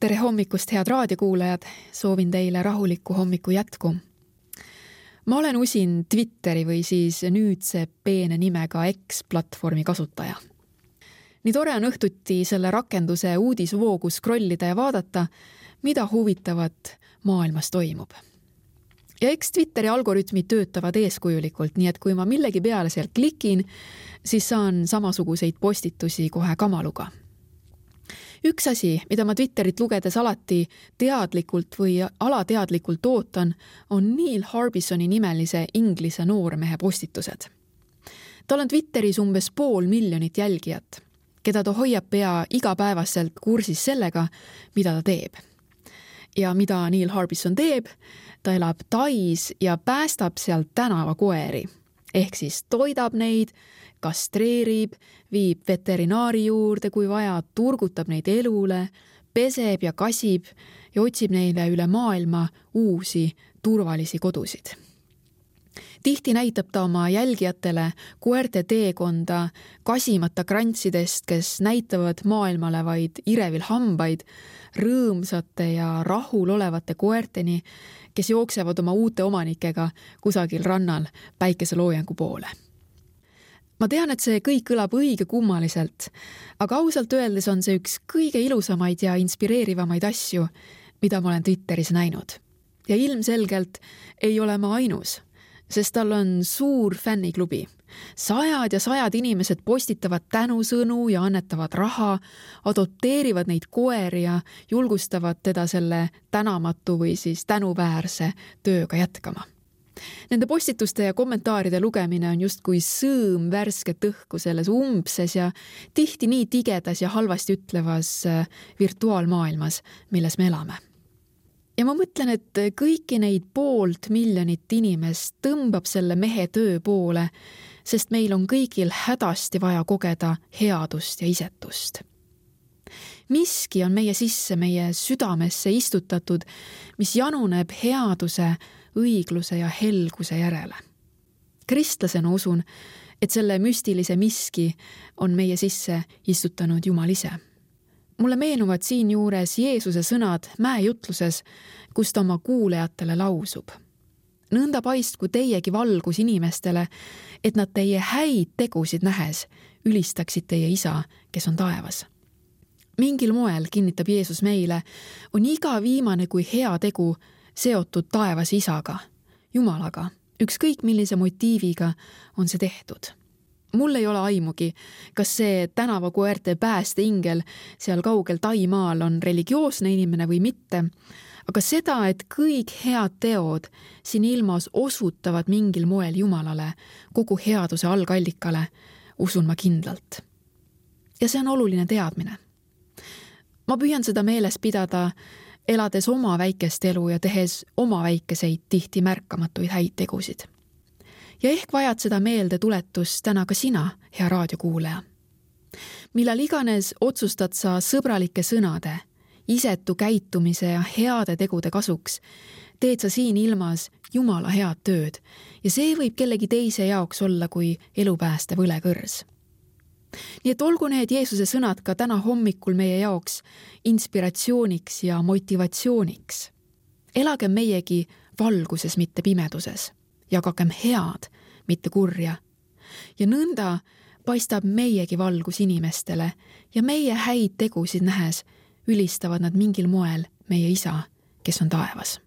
Tere hommikust, head raadiokuulajad! Soovin teile rahulikku hommiku jätku. Ma olen usin Twitteri või siis nüüdse peene nimega X-platvormi kasutaja. Nii tore on õhtuti selle rakenduse uudisvoogu scrollida ja vaadata, mida huvitavat maailmas toimub. Ja eks Twitteri algoritmid töötavad eeskujulikult, nii et kui ma millegi peale sealt klikin, siis saan samasuguseid postitusi kohe kamaluga. Üks asi, mida ma Twitterit lugedes alati teadlikult või alateadlikult ootan, on Neil Harbisoni nimelise inglise noormehe postitused. Tal on Twitteris umbes 500,000 jälgijat, keda ta hoiab pea igapäevaselt kursis sellega, mida ta teeb. Ja mida Neil Harbison teeb, ta elab Tais ja päästab sealt tänavakoeri. Ehk siis toidab neid, kastreerib, viib veterinaari juurde, kui vaja, turgutab neid elule, peseb ja kasib ja otsib neile üle maailma uusi turvalisi kodusid. Tihti näitab ta oma jälgijatele koerte teekonda kasimata krantsidest, kes näitavad maailmale vaid irevil hambaid, rõõmsate ja rahul olevate koerteni, kes jooksevad oma uute omanikega kusagil rannal päikeseloojangu poole. Ma tean, et see kõik kõlab õige kummaliselt, aga ausalt öeldes on see üks kõige ilusamaid ja inspireerivamaid asju, mida ma olen Twitteris näinud. Ja ilmselgelt ei ole ma ainus, sest tal on suur fänniklubi. Sajad ja sajad inimesed postitavad tänusõnu ja annetavad raha, adopteerivad neid koeri ja julgustavad teda selle tänamatu või siis tänuväärse tööga jätkama. Nende postituste ja kommentaaride lugemine on justkui sõõm värsket õhku selles umbses ja tihti nii tigedas ja halvasti ütlevas virtuaalmaailmas, milles me elame. Ja ma mõtlen, et kõiki neid 500,000 inimest tõmbab selle mehe töö poole, sest meil on kõigil hädasti vaja kogeda headust ja isetust. Miski on meie sisse, meie südamesse istutatud, mis januneb headuse, õigluse ja helguse järele. Kristlasena usun, et selle müstilise miski on meie sisse istutanud Jumal ise. Mulle meenuvad siinjuures Jeesuse sõnad mäejutluses, kus ta oma kuulejatele lausub. Nõnda paistku teiegi valgus inimestele, et nad teie häid tegusid nähes ülistaksid teie isa, kes on taevas. Mingil moel, kinnitab Jeesus meile, on iga viimane kui hea tegu seotud taevas isaga, Jumalaga, ükskõik millise motiiviga on see tehtud. Mul ei ole aimugi, kas see tänavakoerte päästeingel seal kaugel Taimaal on religioosne inimene või mitte, aga seda, et kõik head teod siin ilmas osutavad mingil moel Jumalale, kogu headuse algallikale, usun ma kindlalt. Ja see on oluline teadmine. Ma püüan seda meeles pidada, elades oma väikest elu ja tehes oma väikeseid tihti märkamatuid häid tegusid. Ja ehk vajad seda meelde tuletust täna ka sina, hea raadiokuulaja. Millal iganes otsustad sa sõbralike sõnade, isetu käitumise ja heade tegude kasuks, teed sa siin ilmas Jumala head tööd ja see võib kellegi teise jaoks olla kui elupääste võlekõrs. Nii et olgu need Jeesuse sõnad ka täna hommikul meie jaoks inspiratsiooniks ja motivatsiooniks. Elagem meiegi valguses, mitte pimeduses. Jagagem head, mitte kurja. Ja nõnda paistab meiegi valgus inimestele ja meie häid tegusid nähes ülistavad nad mingil moel meie isa, kes on taevas.